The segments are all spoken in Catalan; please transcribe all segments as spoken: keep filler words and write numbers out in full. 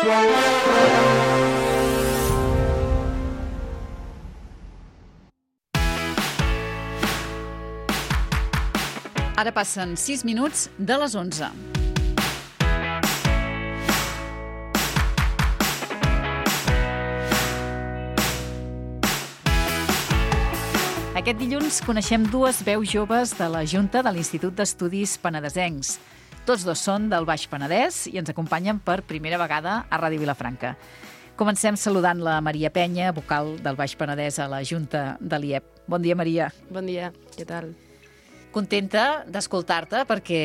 Ara passen sis minuts de les onze. Aquest dilluns coneixem dues veus joves de la Junta de l'Institut d'Estudis Penedesencs. Tots dos són del Baix Penedès i ens acompanyen per primera vegada a Ràdio Vilafranca. Comencem saludant la Maria Penya, vocal del Baix Penedès a la Junta de l'I E P. Bon dia, Maria. Bon dia, què tal? Contenta d'escoltar-te perquè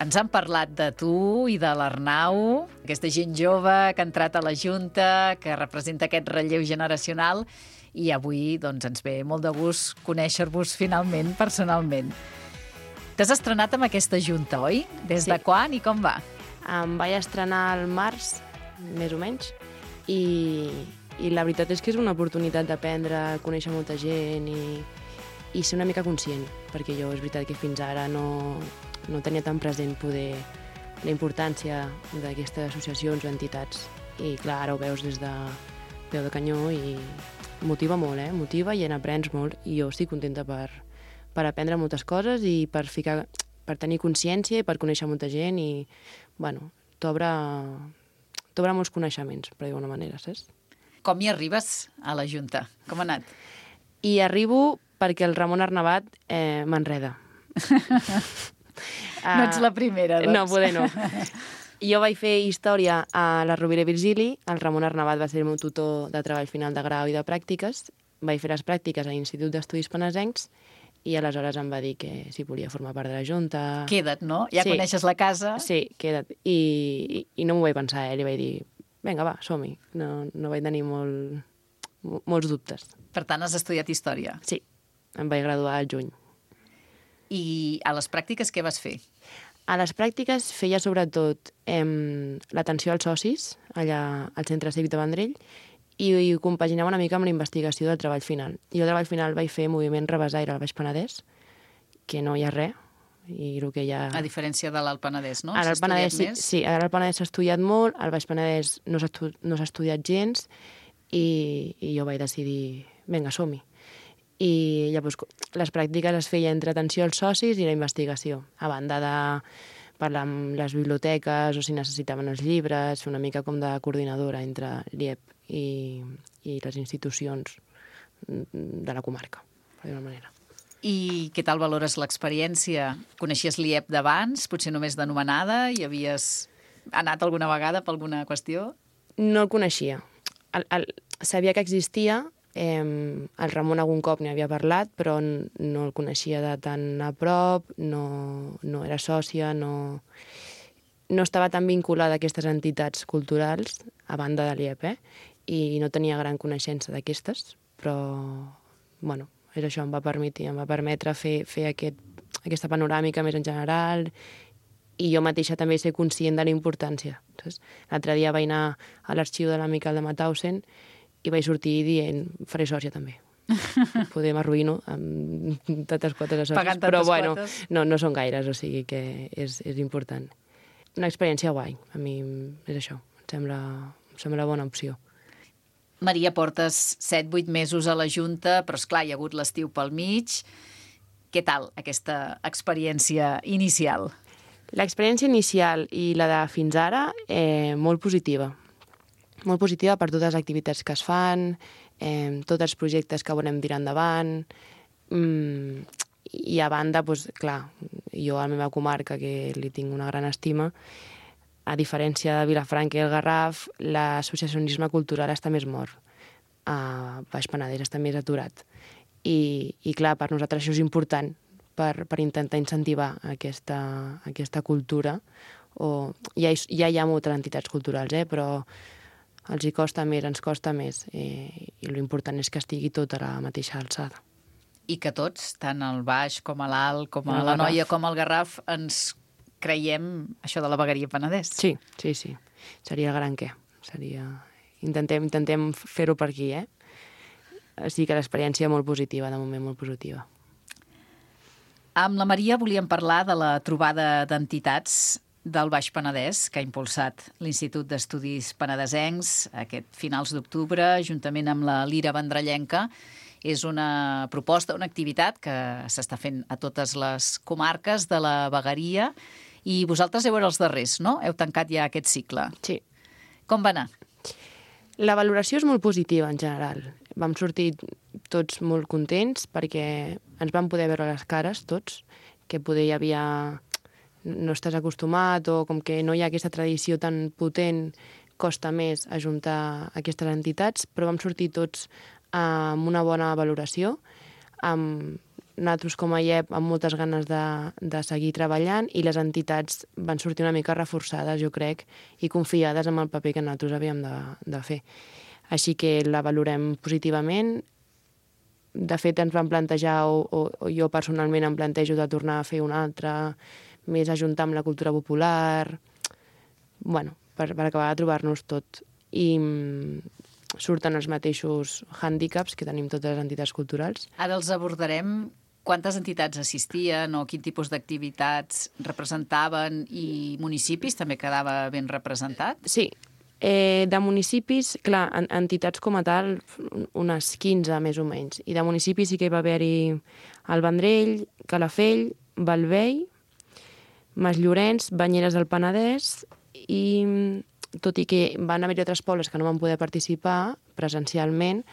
ens han parlat de tu i de l'Arnau, aquesta gent jove que ha entrat a la Junta, que representa aquest relleu generacional, i avui doncs, ens ve molt de gust conèixer-vos finalment, personalment. T'has estrenat amb aquesta Junta, oi? Des Sí. de quan i com va? Em vaig estrenar al març, més o menys, i, i la veritat és que és una oportunitat d'aprendre, conèixer molta gent i, i ser una mica conscient, perquè jo és veritat que fins ara no, no tenia tan present poder la importància d'aquestes associacions o entitats. I clar, ara ho veus des de peu de canyó i motiva molt, eh? Motiva i en aprens molt, i jo estic contenta per, per aprendre moltes coses i per, ficar, per tenir consciència i per conèixer molta gent i, bueno, t'obre t'obre molts coneixements, per dir-ho d'una manera, saps? Com hi arribes a la Junta? Com ha anat? I arribo perquè el Ramon Arnabat eh, m'enreda. No ets la primera, doncs. No, poder no. Jo vaig fer història a la Rovira i Virgili, el Ramon Arnabat va ser el meu tutor de treball final de grau i de pràctiques, vaig fer les pràctiques a l'Institut d'Estudis Penedesencs i aleshores em va dir que si volia formar part de la Junta... Queda't, no? Ja Sí. coneixes la casa. Sí, queda't. I, i, i no m'ho vaig pensar, eh? Li vaig dir, vinga, va, som-hi. No, no vaig tenir molt, molts dubtes. Per tant, has estudiat història. Sí, em vaig graduar al juny. I a les pràctiques què vas fer? A les pràctiques feia sobretot eh, l'atenció als socis allà al Centre Cívic de Vendrell i, i ho compaginava una mica amb la investigació del treball final. I el treball final vaig fer moviment Rebesaire al Baix Penedès, que no hi ha res, i el que hi ha... A diferència de l'Alt Penedès, no? Ara S'ha al Penedès, sí, estudiat més? sí, ara al Penedès s'ha estudiat molt, al Baix Penedès no s'ha estu no s'ha estudiat gens i, i jo vaig decidir, vinga, som-hi. I llavors les pràctiques es feia entre atenció als socis i la investigació, a banda de parlar amb les biblioteques o si necessitaven els llibres, fer una mica com de coordinadora entre l'I E P i, i les institucions de la comarca, per dir-ho manera. I què tal valores l'experiència? Coneixies l'I E P d'abans, potser només d'anomenada, i havies anat alguna vegada per alguna qüestió? No el coneixia. El, el, sabia que existia, eh, el Ramon algun cop n'hi havia parlat, però no el coneixia de tan a prop, no, no era sòcia, no, no estava tan vinculada a aquestes entitats culturals, a banda de l'I E P, eh? I no tenia gran coneixença d'aquestes, però, bueno, és això, em va permetre, em va permetre fer, fer aquest, aquesta panoràmica més en general i jo mateixa també ser conscient de la importància. L'altre dia vaig anar a l'arxiu de la Miquel de Mauthausen i vaig sortir dient, faré sòcia també. Poder m'arruïno amb tantes quotes de sòcies, Pagant però tantes bueno, quotes. no, no són gaires, o sigui que és, és important. Una experiència guai, a mi és això, em sembla, em sembla bona opció. Maria, portes set vuit mesos a la Junta, però esclar, hi ha hagut l'estiu pel mig. Què tal aquesta experiència inicial? L'experiència inicial i la de fins ara, eh, molt positiva. Molt positiva per totes les activitats que es fan, eh, tots els projectes que volem tirar endavant, mm, i a banda, doncs, clar, jo a la meva comarca, que li tinc una gran estima, a diferència de Vilafranca i el Garraf, l'associacionisme cultural està més mort. A Baix Penedès està més aturat. I, i clar, per nosaltres això és important, per, per intentar incentivar aquesta, aquesta cultura. O, ja, hi, ja hi ha moltes entitats culturals, eh, però els hi costa més, ens costa més, eh, i l'important és que estigui tot a la mateixa alçada. I que tots, tant el Baix com a l'Alt, com a El la Noia, Garraf. com al Garraf, ens creiem això de la vegueria Penedès. Sí, sí, sí. Seria el gran què. Seria... Intentem, intentem fer-ho per aquí, eh? O sigui que l'experiència molt positiva, de moment molt positiva. Amb la Maria volíem parlar de la trobada d'entitats del Baix Penedès, que ha impulsat l'Institut d'Estudis Penedesencs aquest finals d'octubre, juntament amb la Lira Vendrellenca. És una proposta, una activitat que s'està fent a totes les comarques de la vegueria i vosaltres heu els darrers, no? Heu tancat ja aquest cicle. Sí. Com va anar? La valoració és molt positiva en general. Vam sortir tots molt contents perquè ens vam poder veure les cares tots, que poder hi havia... no estàs acostumat o com que no hi ha aquesta tradició tan potent, costa més ajuntar aquestes entitats, però vam sortir tots amb una bona valoració, amb nosaltres com a I E P amb moltes ganes de, de seguir treballant i les entitats van sortir una mica reforçades, jo crec, i confiades en el paper que nosaltres havíem de, de fer. Així que la valorem positivament. De fet, ens vam plantejar, o, o, o jo personalment em plantejo de tornar a fer una altra, més ajuntar amb la cultura popular, bueno, per, per acabar de trobar-nos tot. I surten els mateixos hàndicaps que tenim totes les entitats culturals. Ara els abordarem. Quantes entitats assistien o quin tipus d'activitats representaven i municipis també quedava ben representat? Sí, eh, de municipis, clar, en, entitats com a tal, unes quinze més o menys. I de municipis sí que hi va haver-hi el Vendrell, Calafell, Bellvei, Masllorenç, Banyeres del Penedès i, tot i que van haver-hi altres pobles que no van poder participar presencialment,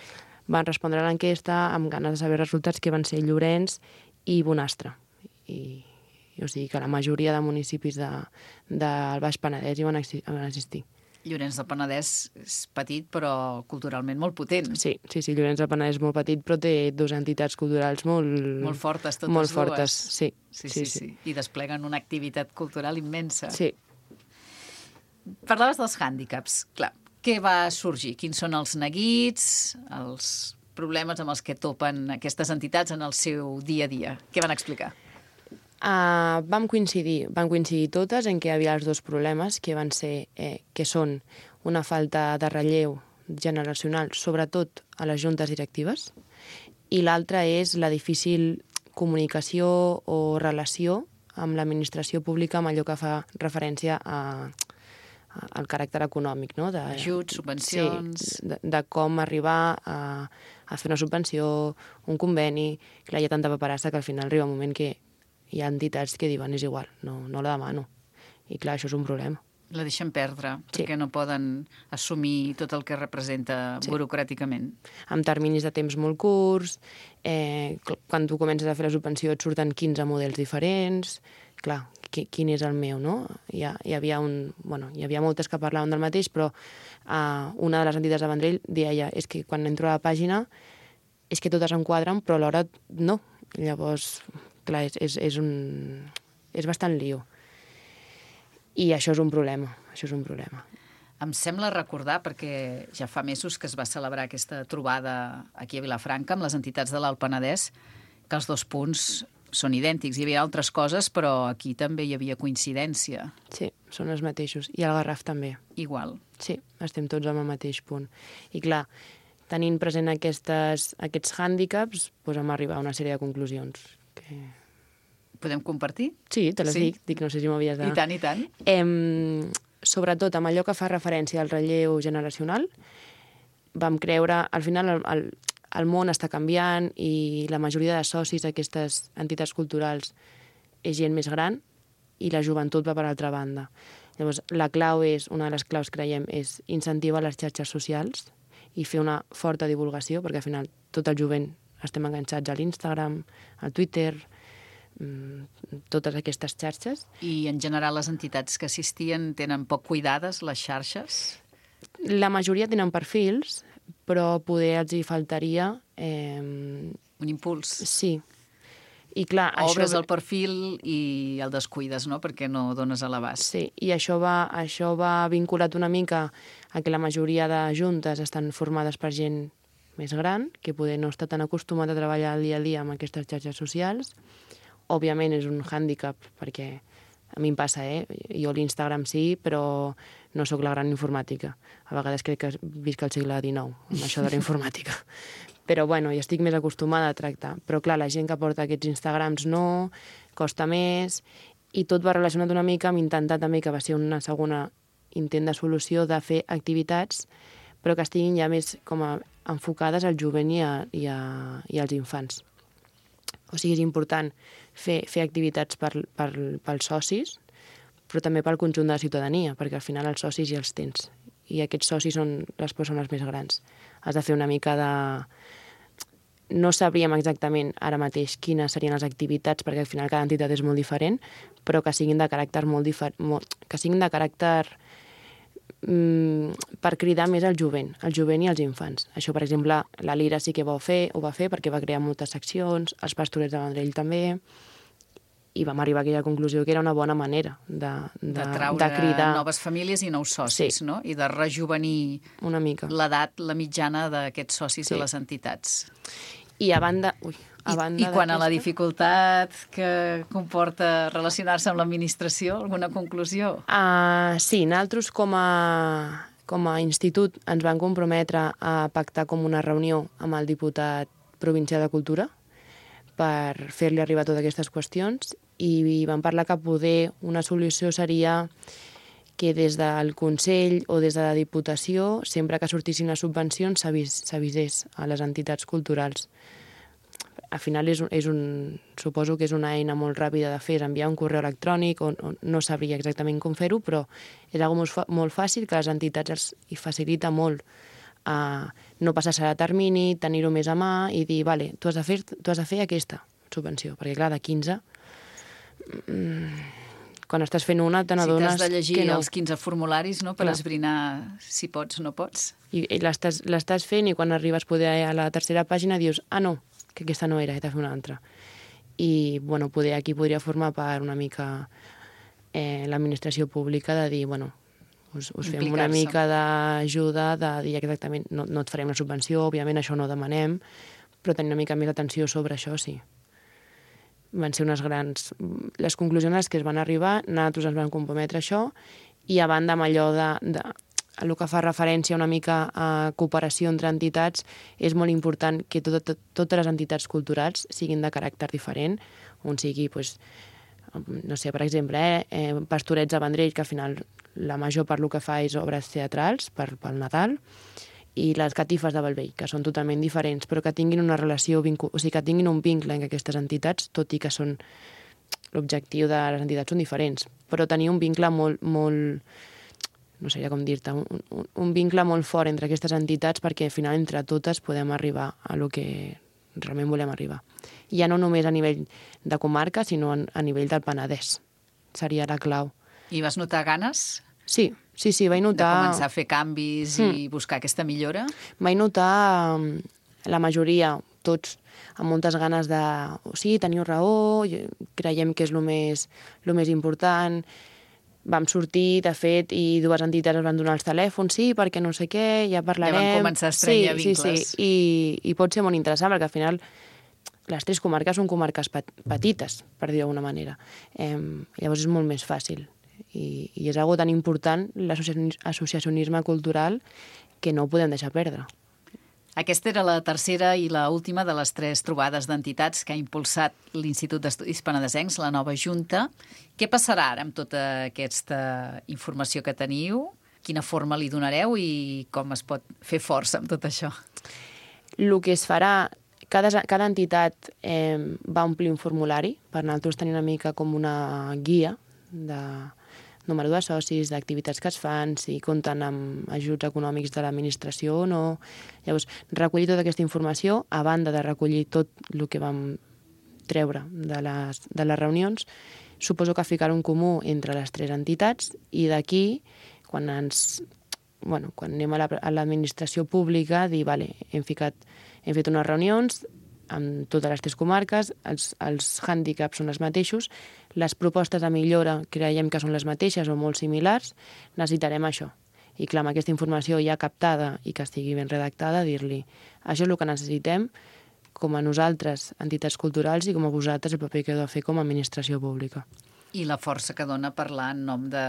van respondre a l'enquesta amb ganes de saber resultats, que van ser Llorenç i Bonastre. I, o sigui que la majoria de municipis de, del Baix Penedès hi van, van assistir. Llorenç del Penedès és petit, però culturalment molt potent. Sí, sí, sí, Llorenç del Penedès és molt petit, però té dues entitats culturals molt... Molt fortes, totes molt dues. Molt fortes, sí. Sí, sí, sí, sí. I despleguen una activitat cultural immensa. Sí. Parlaves dels hàndicaps, clar. Què va sorgir? Quins són els neguits, els problemes amb els que topen aquestes entitats en el seu dia a dia? Què van explicar? Uh, vam coincidir, van coincidir totes en què hi havia els dos problemes, que van ser, eh, que són una falta de relleu generacional, sobretot a les juntes directives, i l'altra és la difícil comunicació o relació amb l'administració pública amb allò que fa referència a el caràcter econòmic, no? De, ajuts, subvencions... Sí, de, de com arribar a, a fer una subvenció, un conveni... Clar, hi ha tanta paperassa que al final arriba un moment que hi ha entitats que diuen és igual, no, no la demano. I clar, això és un problema. La deixen perdre, sí. Perquè no poden assumir tot el que representa sí. burocràticament. Amb terminis de temps molt curts, eh, quan tu comences a fer la subvenció et surten quinze models diferents... Clar, quin és el meu, no? Hi, ha, hi, havia un, bueno, hi havia moltes que parlaven del mateix, però uh, una de les entitats de Vendrell deia és que quan entro a la pàgina és que totes em quadren, però alhora no. Llavors, clar, és, és, és, un, és bastant lío. I això és un problema, això és un problema. Em sembla recordar, perquè ja fa mesos que es va celebrar aquesta trobada aquí a Vilafranca amb les entitats de l'Alt Penedès, que els dos punts són idèntics. Hi havia altres coses, però aquí també hi havia coincidència. Sí, són els mateixos. I al Garraf també. Igual. Sí, estem tots en el mateix punt. I clar, tenint present aquestes, aquests hàndicaps, doncs hem arribat a una sèrie de conclusions. Que... Podem compartir? Sí, te les sí? dic. Dic, no sé si m'havies de... I tant, i tant. Em, sobretot amb allò que fa referència al relleu generacional, vam creure, al final, el, el, el món està canviant i la majoria de socis d'aquestes entitats culturals és gent més gran i la joventut va per altra banda. Llavors, la clau és, una de les claus, creiem, és incentivar les xarxes socials i fer una forta divulgació, perquè al final tot el jovent estem enganxats a l'Instagram, al Twitter, totes aquestes xarxes. I en general les entitats que assistien tenen poc cuidades les xarxes? La majoria tenen perfils, però poder els hi faltaria... Eh... Un impuls. Sí. I clar, obres això... el perfil i el descuides, no?, perquè no dones a l'abast. Sí, i això va, això va vinculat una mica a que la majoria de juntes estan formades per gent més gran, que poder no està tan acostumat a treballar el dia a dia amb aquestes xarxes socials. Òbviament és un hàndicap, perquè a mi em passa, eh? Jo l'Instagram sí, però no sóc la gran informàtica. A vegades crec que visc al segle dinou, amb això de la informàtica. Però, bueno, hi estic més acostumada a tractar. Però, clar, la gent que porta aquests Instagrams no, costa més, i tot va relacionat una mica amb intentar també, que va ser una segona intent de solució, de fer activitats, però que estiguin ja més com a enfocades al jovent i, a, i, a, i als infants. O sigui, és important fer, fer activitats per, per, pels socis, però també pel conjunt de la ciutadania, perquè al final els socis ja els tens. I aquests socis són les persones més grans. Has de fer una mica de... No sabríem exactament ara mateix quines serien les activitats, perquè al final cada entitat és molt diferent, però que siguin de caràcter molt diferent, que siguin de caràcter mm, per cridar més al jovent, al jovent i als infants. Això, per exemple, la Lira sí que ho va fer, ho va fer perquè va crear moltes seccions, els Pastorets de Vendrell també, i vam arribar a aquella conclusió que era una bona manera de, de, de traure de cridar noves famílies i nous socis, sí. no? I de rejuvenir una mica l'edat, la mitjana d'aquests socis sí. de les entitats. I a banda... Ui, a banda I, i quan a la dificultat que comporta relacionar-se amb l'administració, alguna conclusió? Uh, sí, nosaltres com a, com a institut ens vam comprometre a pactar com una reunió amb el diputat provincial de Cultura per fer-li arribar totes aquestes qüestions i vam parlar que poder una solució seria que des del Consell o des de la Diputació, sempre que sortissin les subvencions, s'avisés a les entitats culturals. Al final és un, és un, suposo que és una eina molt ràpida de fer, és enviar un correu electrònic, o, o no sabria exactament com fer-ho, però és una cosa molt, molt fàcil que les entitats els hi facilita molt a no passar-se a termini, tenir-ho més a mà i dir, vale, tu has de fer, tu has de fer aquesta subvenció, perquè clar, de quinze... Quan estàs fent una, te n'adones que no. Si t'has de llegir no. els quinze formularis, no?, per clar. Esbrinar si pots o no pots. I, i l'estàs fent i quan arribes poder a la tercera pàgina dius, ah, no, que aquesta no era, he de fer una altra. I, bueno, poder aquí podria formar part una mica eh, l'administració pública de dir, bueno, us, us fem una mica d'ajuda, de dir exactament, no, no et farem la subvenció, òbviament això no ho demanem, però tenir una mica més d'atenció sobre això, sí. Van ser unes grans... Les conclusions a les que es van arribar, nosaltres ens vam comprometre a això, i a banda amb allò de, de el que fa referència una mica a cooperació entre entitats, és molt important que tot, tot, totes les entitats culturals siguin de caràcter diferent, on sigui, pues, no sé, per exemple, eh, eh, Pastorets de Vendrell, que al final la major part del que fa és obres teatrals per, pel Nadal, i les catifes de Bellvei, que són totalment diferents, però que tinguin una relació, o sigui, que tinguin un vincle amb aquestes entitats, tot i que són l'objectiu de les entitats són diferents, però tenir un vincle molt, molt no sé com dir-te, un, un, un vincle molt fort entre aquestes entitats perquè al final entre totes podem arribar a lo que realment volem arribar. Ja no només a nivell de comarca, sinó a nivell del Penedès. Seria la clau. I vas notar ganes? Sí, sí, sí, vaig notar... De començar a fer canvis mm. i buscar aquesta millora? Vaig notar la majoria, tots, amb moltes ganes de... O sigui, teniu raó, creiem que és el més, el més important. Vam sortir, de fet, i dues entitats es van donar els telèfons, sí, perquè no sé què, ja parlarem... Ja van començar a estrènyer sí, vincles. Sí, sí, i, i pot ser molt interessant, perquè al final les tres comarques són comarques petites, per dir d'alguna manera. Eh, llavors és molt més fàcil. I, i és algo tan important, l'associacionisme cultural, que no ho podem deixar perdre. Aquesta era la tercera i la última de les tres trobades d'entitats que ha impulsat l'Institut d'Estudis Penedesencs, la nova Junta. Què passarà ara amb tota aquesta informació que teniu? Quina forma li donareu i com es pot fer força amb tot això? El que es farà, cada, cada entitat eh, va omplir un formulari, per nosaltres tenir una mica com una guia de número de socis, d'activitats que es fan, si compten amb ajuts econòmics de l'administració o no. Llavors, recollir tota aquesta informació, a banda de recollir tot el que vam treure de les, de les reunions, suposo que ficar un comú entre les tres entitats i d'aquí, quan ens... Bueno, quan anem a l'administració pública, dir, vale, hem, ficat, hem fet unes reunions amb totes les tres comarques, els, els hàndicaps són els mateixos, les propostes de millora creiem que són les mateixes o molt similars, necessitarem això. I clar, amb aquesta informació ja captada i que estigui ben redactada, dir-li, això és el que necessitem com a nosaltres, entitats culturals, i com a vosaltres el paper que heu de fer com a administració pública. I la força que dona parlar en nom de,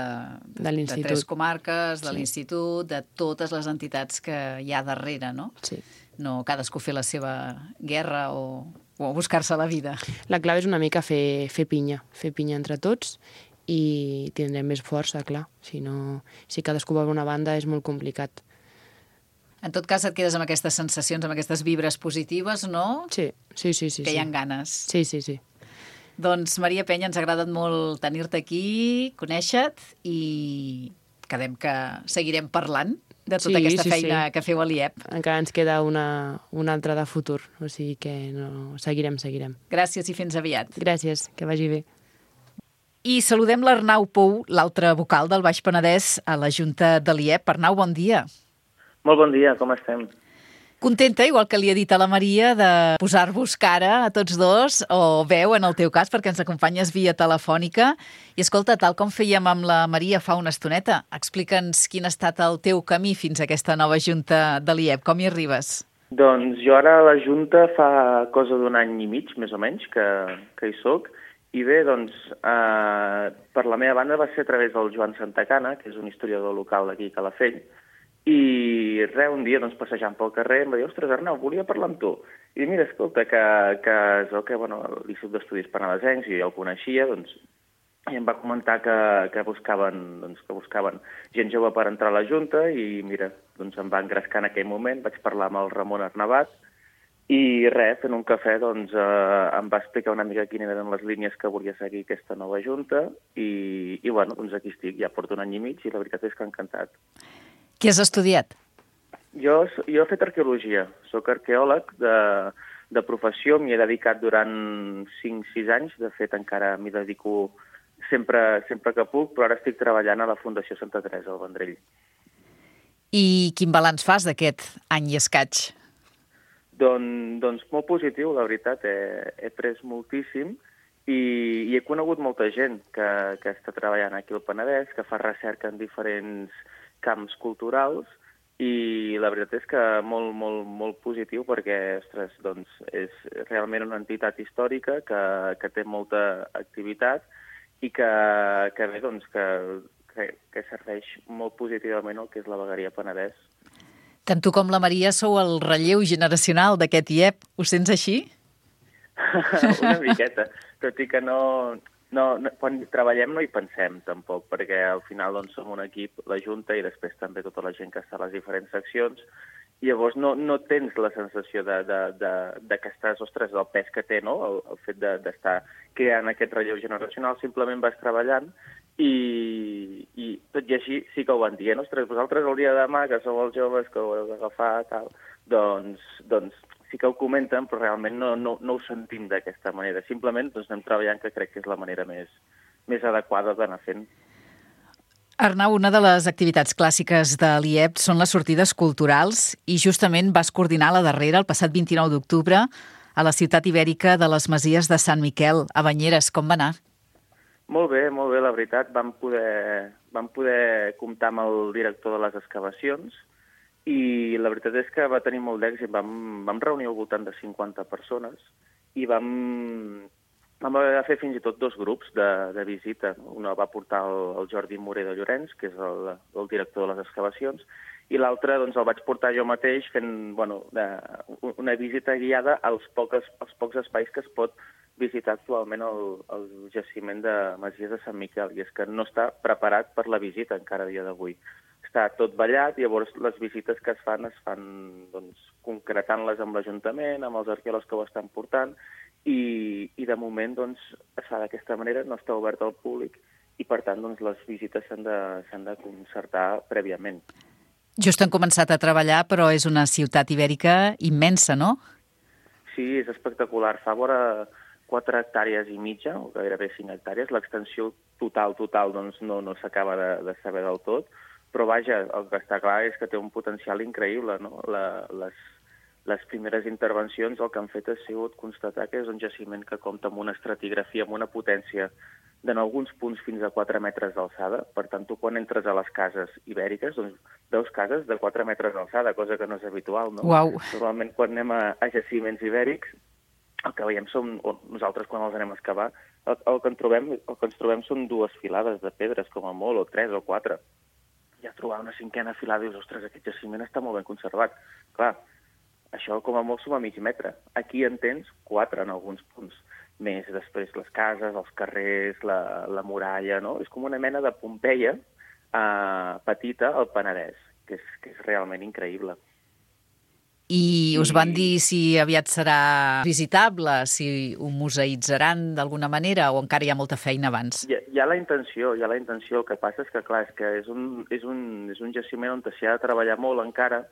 de, de tres comarques, de sí. l'Institut, de totes les entitats que hi ha darrere, no? Sí. No cadascú fer la seva guerra o o buscar-se la vida. La clau és una mica fer, fer pinya, fer pinya entre tots i tindrem més força, clar. Si no, si cadascú va a una banda és molt complicat. En tot cas, et quedes amb aquestes sensacions, amb aquestes vibres positives, no? Sí, sí, sí. sí que hi ha sí. ganes. Sí, sí, sí. Doncs, Maria Penya, ens ha agradat molt tenir-te aquí, conèixer-te, i quedem que seguirem parlant de tota sí, aquesta sí, feina sí. que feu a l'I E P. Encara ens queda una, una altra de futur, o sigui que no, seguirem, seguirem. Gràcies i fins aviat. Gràcies, que vagi bé. I saludem l'Arnau Pou, l'altre vocal del Baix Penedès a la Junta de l'I E P. Arnau, bon dia. Molt bon dia, com estem? Contenta, igual que li ha dit a la Maria, de posar-vos cara a tots dos, o veu en el teu cas, perquè ens acompanyes via telefònica. I escolta, tal com fèiem amb la Maria fa una estoneta, explica'ns quin ha estat el teu camí fins a aquesta nova Junta de l'I E P. Com hi arribes? Doncs jo ara a la Junta fa cosa d'un any i mig, més o menys, que, que hi soc. I bé, doncs, eh, per la meva banda va ser a través del Joan Santacana, que és un historiador local d'aquí a Calafell, i res, un dia, doncs, passejant pel carrer, em va dir, ostres, Arnau, volia parlar amb tu. I dic, mira, escolta, que, que és el que, bueno, l'Institut d'Estudis Penedesencs, i jo el coneixia, doncs, i em va comentar que, que, buscaven, doncs, que buscaven gent jove per entrar a la Junta, i mira, doncs em va engrescar en aquell moment, vaig parlar amb el Ramon Arnabat, i res, fent un cafè, doncs, eh, em va explicar una mica quines eren les línies que volia seguir aquesta nova Junta, i, i bueno, doncs aquí estic, ja porto un any i mig, i la veritat és que encantat. Què has estudiat? Jo, jo he fet arqueologia, sóc arqueòleg de, de professió, m'hi he dedicat durant cinc sis anys, de fet encara m'hi dedico sempre, sempre que puc, però ara estic treballant a la Fundació Santa Teresa al Vendrell. I quin balanç fas d'aquest any i escaig? Don, doncs molt positiu, la veritat, he, he après moltíssim i, i he conegut molta gent que, que està treballant aquí al Penedès, que fa recerca en diferents camps culturals, i la veritat és que molt, molt, molt positiu perquè, ostres, doncs, és realment una entitat històrica que, que té molta activitat i que, que bé, doncs, que, que, que serveix molt positivament el que és la vegueria Penedès. Tant tu com la Maria sou el relleu generacional d'aquest I E P. Ho sents així? Una miqueta, tot i que no, no, no, quan treballem no hi pensem tampoc, perquè al final doncs, som un equip, la Junta, i després també tota la gent que està a les diferents seccions, i llavors no, no tens la sensació de, de, de, de que estàs, ostres, del pes que té, no?, el, el fet d'estar de, creant aquest relleu generacional, simplement vas treballant, i, i tot i així sí que ho van dient, ostres, vosaltres el dia de demà, que sou els joves, que ho heu d'agafar, tal, doncs, doncs sí que ho comenten, però realment no, no, no ho sentim d'aquesta manera. Simplement doncs, anem treballant, que crec que és la manera més, més adequada d'anar fent. Arnau, una de les activitats clàssiques de l'I E P són les sortides culturals i justament vas coordinar la darrera el passat vint-i-nou d'octubre a la ciutat ibèrica de les Masies de Sant Miquel, a Banyeres. Com va anar? Molt bé, molt bé, la veritat. Vam poder, vam poder comptar amb el director de les excavacions i la veritat és que va tenir molt d'èxit. Vam, vam reunir al voltant de cinquanta persones i vam, vam haver de fer fins i tot dos grups de, de visita. Un va portar el, el Jordi Moré de Llorenç, que és el, el director de les excavacions, i l'altre doncs, el vaig portar jo mateix fent bueno, de, una visita guiada als pocs, als pocs espais que es pot visitar actualment el, el jaciment de Masies de Sant Miquel, i és que no està preparat per la visita encara a dia d'avui. Està tot ballat, i llavors les visites que es fan es fan doncs, concretant-les amb l'Ajuntament, amb els arqueòlegs que ho estan portant, i, i de moment doncs, es fa d'aquesta manera, no està obert al públic, i per tant doncs, les visites s'han de, s'han de concertar prèviament. Just han començat a treballar, però és una ciutat ibèrica immensa, no? Sí, és espectacular. Fa vora quatre hectàrees i mitja, o gairebé cinc hectàrees. L'extensió total, total, doncs no, no s'acaba de, de saber del tot, però vaja, el que està clar és que té un potencial increïble, no? La, les, les primeres intervencions el que han fet ha sigut constatar que és un jaciment que compta amb una estratigrafia, amb una potència d'en alguns punts fins a quatre metres d'alçada. Per tant, tu quan entres a les cases ibèriques, doncs veus cases de quatre metres d'alçada, cosa que no és habitual, no? Uau. Normalment quan anem a, a jaciments ibèrics, el que veiem són, o nosaltres quan els anem a excavar, el, el, que en trobem, el que ens trobem són dues filades de pedres, com a molt, o tres o quatre. Ja trobar una cinquena filada i dius, ostres, aquest jaciment està molt ben conservat. Clar, això com a molt suma mig metre. Aquí en tens quatre en alguns punts. Més després les cases, els carrers, la, la muralla, no? És com una mena de Pompeia eh, petita al Penedès, que és, que és realment increïble. I us van dir si aviat serà visitable, si ho museïtzaran d'alguna manera o encara hi ha molta feina abans? Hi ha, hi ha la intenció, hi ha la intenció. El que passa és que, clar, és que és un, és un, és un jaciment on s'hi ha de treballar molt encara,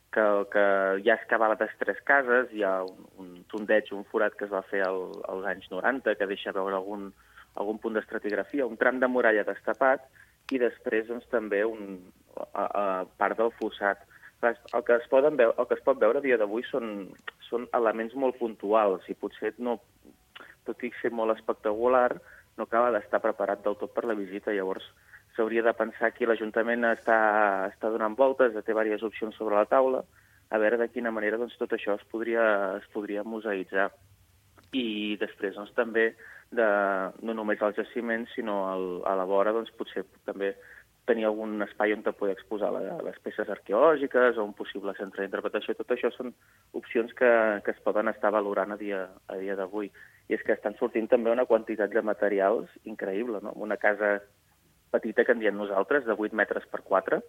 que, que hi ha excavades tres cases, hi ha un, un sondeig, un forat que es va fer al, als anys noranta, que deixa veure algun, algun punt d'estratigrafia, un tram de muralla destapat, i després doncs, també un, a, a part del fossat. El que es, poden veure, el que es pot veure a dia d'avui són, són elements molt puntuals i potser, no, tot i ser molt espectacular, no acaba d'estar preparat del tot per la visita. Llavors, s'hauria de pensar que l'Ajuntament està, està donant voltes, té diverses opcions sobre la taula, a veure de quina manera doncs, tot això es podria, es podria museïtzar. I després doncs, també, de, no només als jaciments, sinó al, a la vora, doncs, potser també tenir algun espai on te poder exposar la, les peces arqueològiques o un possible centre d'interpretació. Tot això són opcions que, que es poden estar valorant a dia, a dia d'avui. I és que estan sortint també una quantitat de materials increïble, no? Una casa petita que en diem nosaltres, de vuit metres per quatre,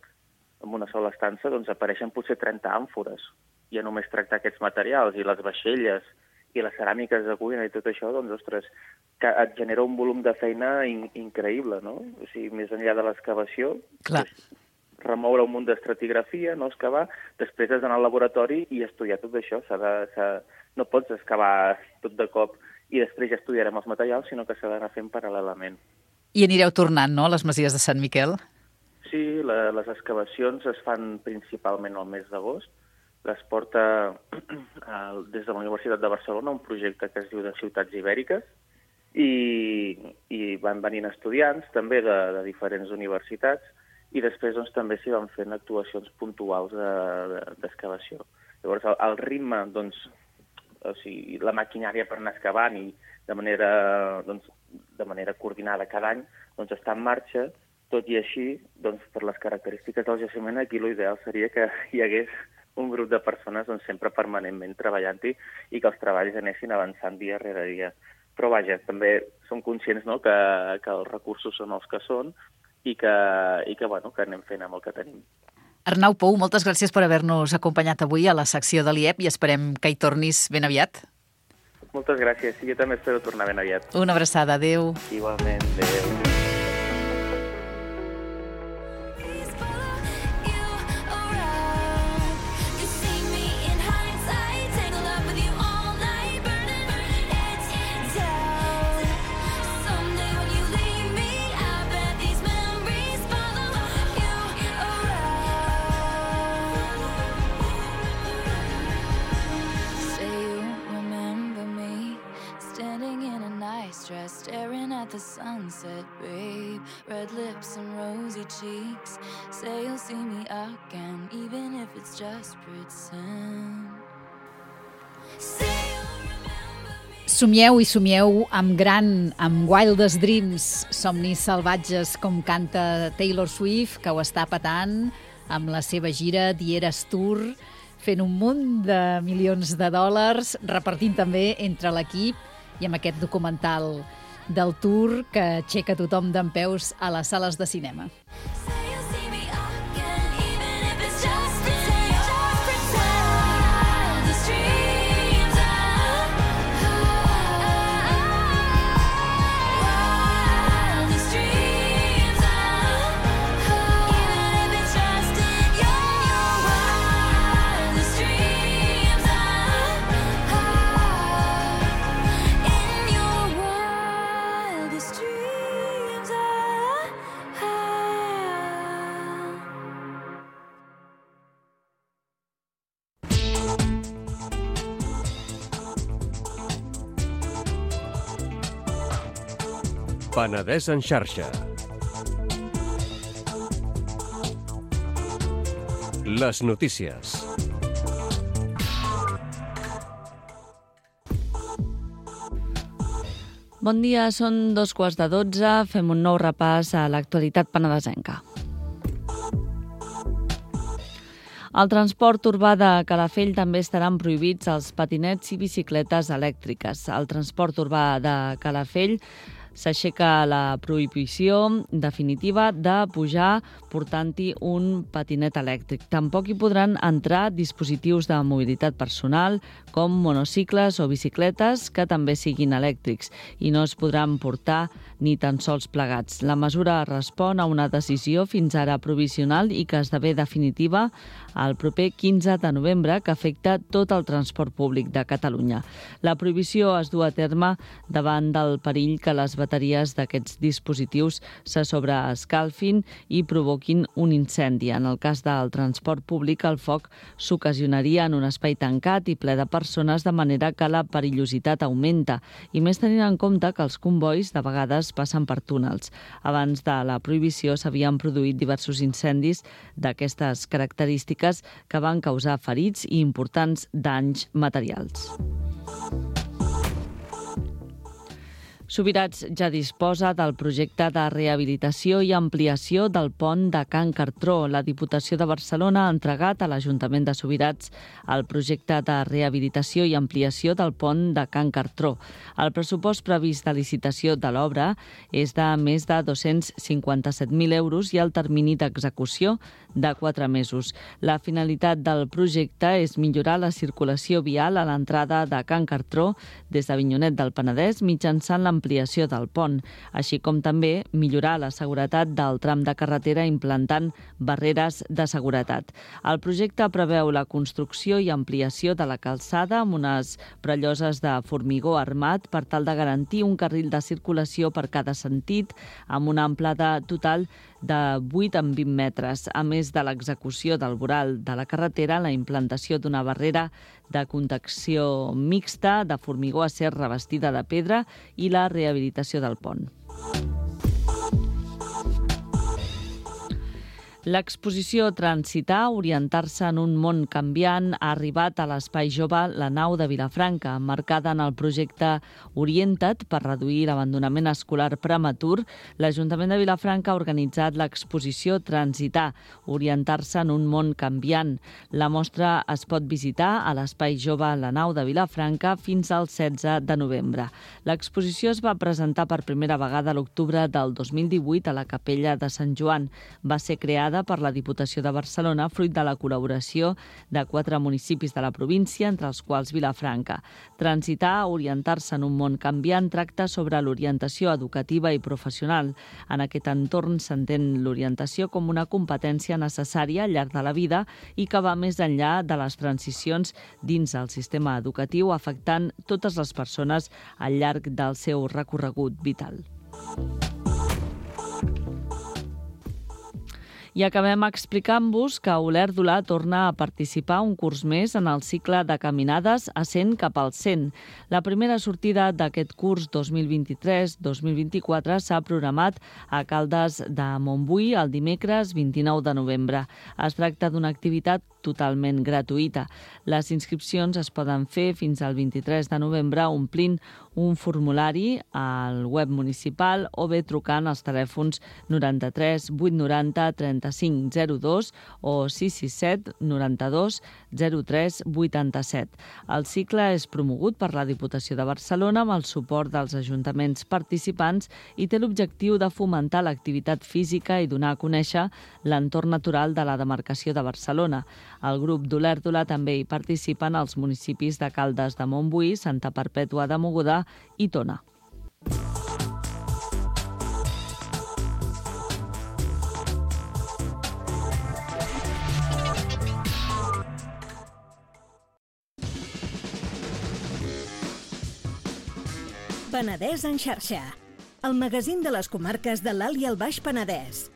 amb una sola estança, doncs apareixen potser trenta àmfores. I a només tractar aquests materials i les vaixelles i les ceràmiques de cuina i tot això, doncs, ostres, que et genera un volum de feina in increïble, no? O sigui, més enllà de l'excavació, remoure un munt d'estratigrafia, no excavar, després has d'anar al laboratori i estudiar tot això. S'ha de, s'ha... No pots excavar tot de cop i després ja estudiarem els materials, sinó que s'ha d'anar fent paral·lelament. I anireu tornant, no?, a les masies de Sant Miquel? Sí, la, les excavacions es fan principalment al mes d'agost. Les porta des de la Universitat de Barcelona un projecte que es diu de Ciutats Ibèriques i, i van venint estudiants també de, de diferents universitats i després doncs, també s'hi van fent actuacions puntuals d'excavació. De, de, Llavors, el, el ritme, doncs, o sigui, la maquinària per anar excavant i de manera, doncs, de manera coordinada cada any doncs, està en marxa, tot i així, doncs, per les característiques del jaciment, aquí l'ideal seria que hi hagués un grup de persones doncs, sempre permanentment treballant-hi i que els treballs anessin avançant dia rere dia. Però vaja, també som conscients, no?, que, que els recursos són els que són i que, i que, bueno, que anem fent amb el que tenim. Arnau Pou, moltes gràcies per haver-nos acompanyat avui a la secció de l'I E P i esperem que hi tornis ben aviat. Moltes gràcies, i jo també espero tornar ben aviat. Una abraçada, adéu. Igualment, adéu. Staring at the sunset, babe. Red lips and rosy cheeks. Say you'll see me again, even if it's just pretend. Somieu i somieu amb gran, amb Wildest Dreams, somnis salvatges, com canta Taylor Swift, que ho està patant amb la seva gira The Eras Tour, fent un munt de milions de dòlars, repartint també entre l'equip i amb aquest documental del tour que aixeca tothom dempeus a les sales de cinema. Penedès en xarxa. Les notícies. Bon dia, són dos quarts de dotze. Fem un nou repàs a l'actualitat penedesenca. Al transport urbà de Calafell també estaran prohibits els patinets i bicicletes elèctriques. Al transport urbà de Calafell s'aixeca la prohibició definitiva de pujar portant-hi un patinet elèctric. Tampoc hi podran entrar dispositius de mobilitat personal com monocicles o bicicletes que també siguin elèctrics i no es podran portar ni tan sols plegats. La mesura respon a una decisió fins ara provisional i que esdevé definitiva el proper quinze de novembre, que afecta tot el transport públic de Catalunya. La prohibició es du a terme davant del perill que les bateries d'aquests dispositius se sobreescalfin i provoquin un incendi. En el cas del transport públic, el foc s'ocasionaria en un espai tancat i ple de persones, de manera que la perillositat augmenta, i més tenint en compte que els convois de vegades passen per túnels. Abans de la prohibició s'havien produït diversos incendis d'aquestes característiques que van causar ferits i importants danys materials. Subirats ja disposa del projecte de rehabilitació i ampliació del pont de Can Cartró. La Diputació de Barcelona ha entregat a l'Ajuntament de Subirats el projecte de rehabilitació i ampliació del pont de Can Cartró. El pressupost previst de licitació de l'obra és de més de dos-cents cinquanta-set mil euros i el termini d'execució de quatre mesos. La finalitat del projecte és millorar la circulació vial a l'entrada de Can Cartró des d'Avinyonet del Penedès mitjançant la ampliació del pont, així com també millorar la seguretat del tram de carretera implantant barreres de seguretat. El projecte preveu la construcció i ampliació de la calçada amb unes prelloses de formigó armat per tal de garantir un carril de circulació per cada sentit amb una amplada total de vuit en vint metres, a més de l'execució del voral de la carretera, la implantació d'una barrera de contenció mixta de formigó acer revestida de pedra i la rehabilitació del pont. L'exposició Transitar, orientar-se en un món canviant, ha arribat a l'Espai Jove La Nau de Vilafranca, marcada en el projecte Orienta't per reduir l'abandonament escolar prematur. L'Ajuntament de Vilafranca ha organitzat l'exposició Transitar, orientar-se en un món canviant. La mostra es pot visitar a l'Espai Jove La Nau de Vilafranca fins al setze de novembre. L'exposició es va presentar per primera vegada a l'octubre del dos mil divuit a la Capella de Sant Joan. Va ser creada per la Diputació de Barcelona, fruit de la col·laboració de quatre municipis de la província, entre els quals Vilafranca. Transitar, orientar-se en un món canviant, tracta sobre l'orientació educativa i professional. En aquest entorn s'entén l'orientació com una competència necessària al llarg de la vida i que va més enllà de les transicions dins el sistema educatiu, afectant totes les persones al llarg del seu recorregut vital. I acabem explicant-vos que Olèrdola torna a participar un curs més en el cicle de caminades a cent cap al cent. La primera sortida d'aquest curs dos mil vint-i-tres dos mil vint-i-quatre s'ha programat a Caldes de Montbui el dimecres vint-i-nou de novembre. Es tracta d'una activitat totalment gratuïta. Les inscripcions es poden fer fins al vint-i-tres de novembre omplint un formulari al web municipal o bé trucant als telèfons noranta-tres vuit noranta trenta-cinc zero dos o sis sis set noranta-dos zero tres vuitanta-set. El cicle és promogut per la Diputació de Barcelona amb el suport dels ajuntaments participants i té l'objectiu de fomentar l'activitat física i donar a conèixer l'entorn natural de la demarcació de Barcelona. Al grup d'Olèrdola també hi participen els municipis de Caldes de Montbui, Santa Perpètua de Mogoda i Tona. Penedès en xarxa, el magazín de les comarques de l'Alt i el Baix Penedès.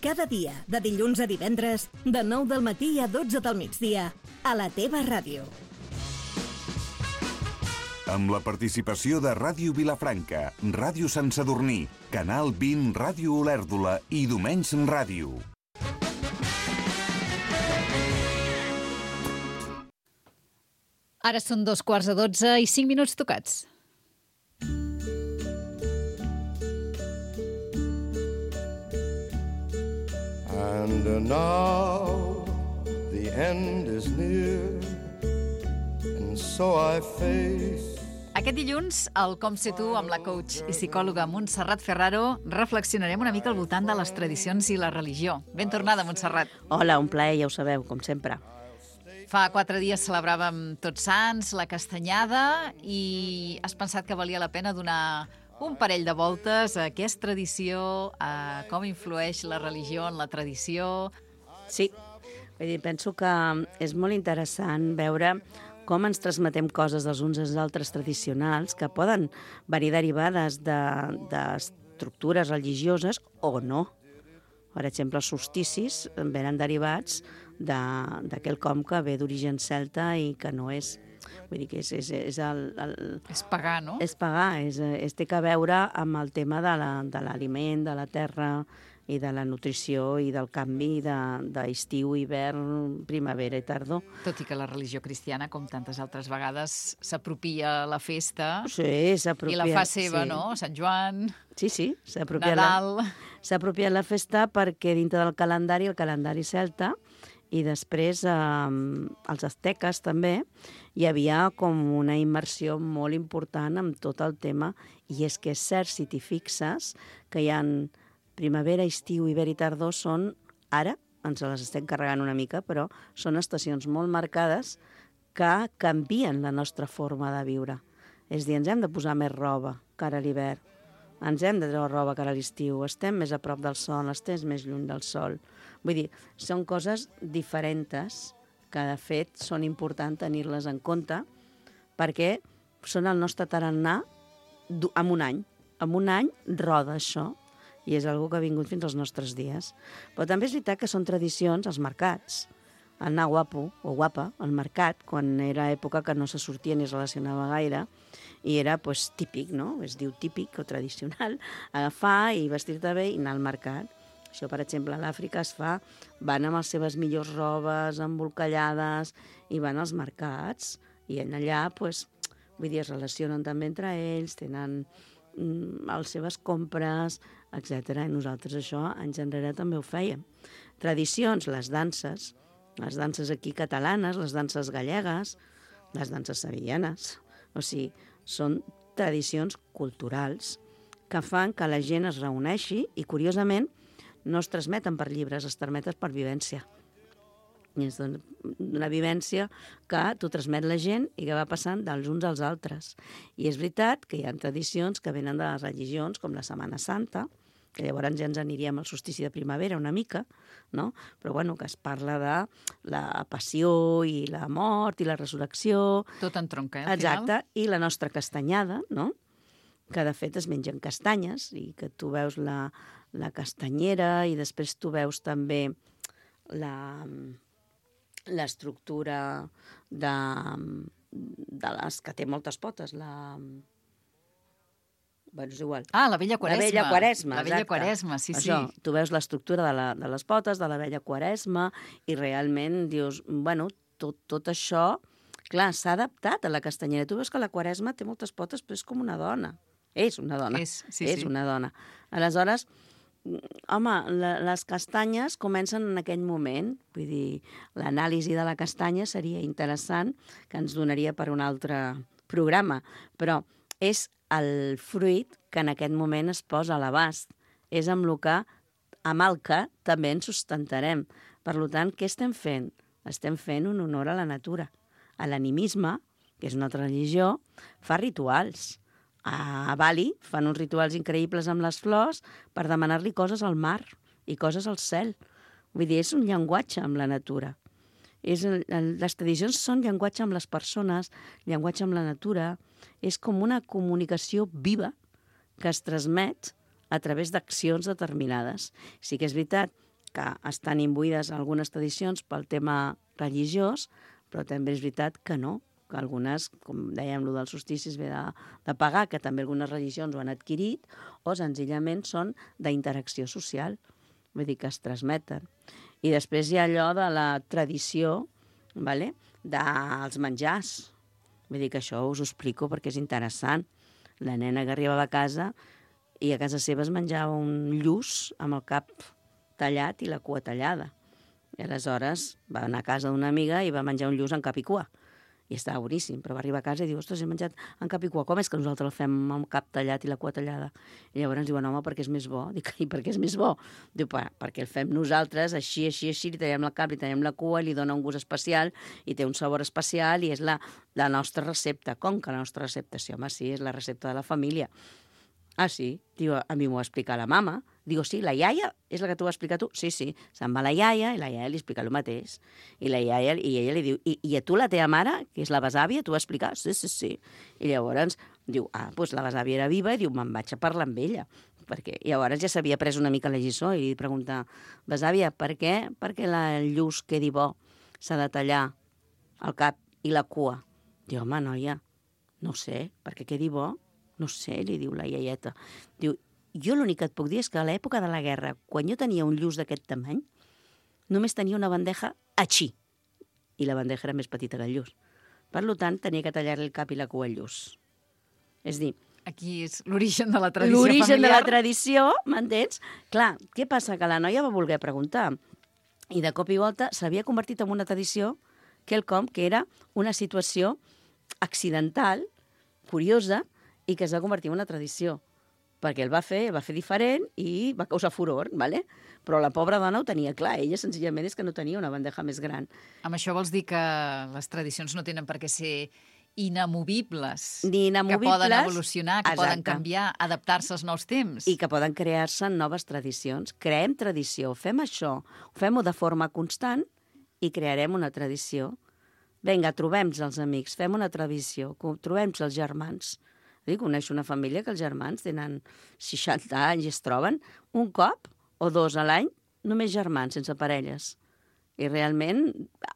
Cada dia, de dilluns a divendres, de nou del matí a dotze del migdia, a la teva ràdio. Amb la participació de Ràdio Vilafranca, Ràdio Sant Sadurní, Canal vint, Ràdio Olèrdola i Domenys Ràdio. Ara són dos quarts de dotze i cinc minuts tocats. And now the the end is near, and so I face. Aquest dilluns, al Com Ser Tu, amb la coach i psicòloga Montserrat Ferraro, reflexionarem una mica al voltant de les tradicions i la religió. Ben tornada, Montserrat. Hola, un plaer, ja ho sabeu, com sempre. Fa quatre dies celebràvem Tots Sants, la Castanyada, i has pensat que valia la pena donar un parell de voltes a què és tradició, a com influeix la religió en la tradició. Sí, vull dir, penso que és molt interessant veure com ens transmetem coses dels uns als altres tradicionals que poden venir derivades d'estructures de, religioses o no. Per exemple, els solsticis venen derivats d'aquell com que ve d'origen celta i que no és... Vull dir que és... És, és, el, el, és pagà, no? És pagà, és, és, té a veure amb el tema de l'aliment, de, de la terra i de la nutrició i del canvi d'estiu, de, hivern, primavera i tardor. Tot i que la religió cristiana, com tantes altres vegades, s'apropia la festa. Sí, s'apropia. I la fa seva, sí. No? Sant Joan, sí, sí, s'apropia Nadal... S'ha apropiat la festa perquè dintre del calendari, el calendari celta, i després eh, els asteques també, hi havia com una immersió molt important amb tot el tema, i és que és cert, si t'hi fixes, que hi ha primavera, estiu, hivern i tardor són, ara, ens les estem carregant una mica, però són estacions molt marcades que canvien la nostra forma de viure. És a dir, ens hem de posar més roba cara a l'hivern, ens hem de treure roba cara a l'estiu, estem més a prop del sol, estem més lluny del sol. Vull dir, són coses diferents que, de fet, són importants tenir-les en compte perquè són el nostre tarannà en un any. En un any roda això i és una cosa que ha vingut fins als nostres dies. Però també és veritat que són tradicions als mercats. Anar guapo o guapa al mercat, quan era època que no se sortia ni es relacionava gaire, i era pues, típic, no? Es diu típic o tradicional, agafar i vestir-te bé i anar al mercat. Això, per exemple, a l'Àfrica es fa, van amb les seves millors robes, embolcallades, i van als mercats, i allà, pues, vull dir, es relacionen també entre ells, tenen mm, les seves compres, etcètera. I nosaltres això, anys enrere, també ho fèiem. Tradicions, les danses, les danses aquí catalanes, les danses gallegues, les danses sevillanes. O sigui, són tradicions culturals que fan que la gent es reuneixi i, curiosament, no es transmeten per llibres, es transmeten per vivència. I és una vivència que t'ho transmet la gent i que va passant dels uns als altres. I és veritat que hi ha tradicions que venen de les religions, com la Setmana Santa, que llavors ja ens aniríem al solstici de primavera una mica, no? Però bueno, que es parla de la passió i la mort i la resurrecció. Tot entronca, eh, al Exacte, final. i la nostra castanyada, no? Que de fet es mengen castanyes i que tu veus la, la castanyera i després tu veus també la l'estructura de, de les que té moltes potes, la... Bueno, és igual. Ah, la vella Quaresma. La vella Quaresma, La vella exacte. Quaresma, sí, Això, sí. tu veus l'estructura de, la, de les potes, de la vella Quaresma, i realment dius, bueno, tot, tot això, clar, s'ha adaptat a la castanyera. Tu veus que la Quaresma té moltes potes, però és com una dona. És una dona. És, sí, és sí. una dona. Aleshores, home, la, les castanyes comencen en aquell moment. Vull dir, l'anàlisi de la castanya seria interessant, que ens donaria per un altre programa, però és el fruit que en aquest moment es posa a l'abast. És amb el que, amb el que també ens sustentarem. Per tant, què estem fent? Estem fent un honor a la natura. A l'animisme, que és una altra religió, fa rituals. A Bali fan uns rituals increïbles amb les flors per demanar-li coses al mar i coses al cel. Vull dir, és un llenguatge amb la natura. És, les tradicions són llenguatge amb les persones, llenguatge amb la natura. És com una comunicació viva que es transmet a través d'accions determinades. Sí que és veritat que estan imbuïdes algunes tradicions pel tema religiós, però també és veritat que no, que algunes, com dèiem, el dels solsticis ve de, de pagar, que també algunes religions ho han adquirit, o senzillament són d'interacció social, vull dir que es transmeten. I després hi ha allò de la tradició, vale? Dels menjars. Vull dir que això us ho explico perquè és interessant. La nena que arribava a casa i a casa seva es menjava un lluç amb el cap tallat i la cua tallada. I aleshores va anar a casa d'una amiga i va menjar un lluç en cap i cua. I estava boníssim, però va arribar a casa i diu, ostres, he menjat en cap i cua, com és que nosaltres el fem amb cap tallat i la cua tallada? I llavors ens diuen, home, perquè és més bo. Dic, i per què és més bo? Diu, perquè el fem nosaltres, així, així, així, li tallem el cap, li tallem la cua, li dona un gust especial i té un sabor especial i és la, la nostra recepta. Com que la nostra recepta? Sí, home, sí, és la recepta de la família. Ah, sí? Diu, a mi m'ho va explicar la mama. Digo, sí, la iaia és la que t'ho va explicar tu? Sí, sí. Se'n va la iaia i la iaia li explica el mateix. I la iaia, i ella li diu, I, i a tu la teva mare, que és la besàvia, t'ho va explicar? Sí, sí, sí. I llavors diu, ah, doncs la besàvia era viva, i diu, me'n vaig a parlar amb ella. Perquè llavors ja s'havia pres una mica la lliçó i li pregunta, besàvia, per què perquè el lluç quedi bo s'ha de tallar el cap i la cua? Diu, home, noia, no ho sé, perquè quedi bo. No sé, li diu la iaieta. Diu, jo l'únic que et puc dir és que a l'època de la guerra, quan jo tenia un lluç d'aquest tamany, només tenia una bandeja així. I la bandeja era més petita que el lluç. Per tant, tenia que tallar-li el cap i la cua al lluç. És dir... Aquí és l'origen de la tradició familiar. L'origen de la tradició, m'entens? Clar, què passa? Que la noia va voler preguntar. I de cop i volta s'havia convertit en una tradició quelcom que era una situació accidental, curiosa, i que es va convertir en una tradició, perquè el va fer, el va fer diferent i va causar furor, ¿vale? Però la pobra dona ho tenia clar, ella senzillament és que no tenia una bandeja més gran. Amb això vols dir que les tradicions no tenen per què ser inamovibles, Ni inamovibles, que poden evolucionar, que exacte. poden canviar, adaptar-se als nous temps. I que poden crear-se noves tradicions. Creem tradició, fem això, fem-ho de forma constant i crearem una tradició. Vinga, trobem-nos els amics, fem una tradició, trobem-nos els germans. Dic, coneixo una família que els germans tenen seixanta anys i es troben un cop o dos a l'any, només germans, sense parelles. I realment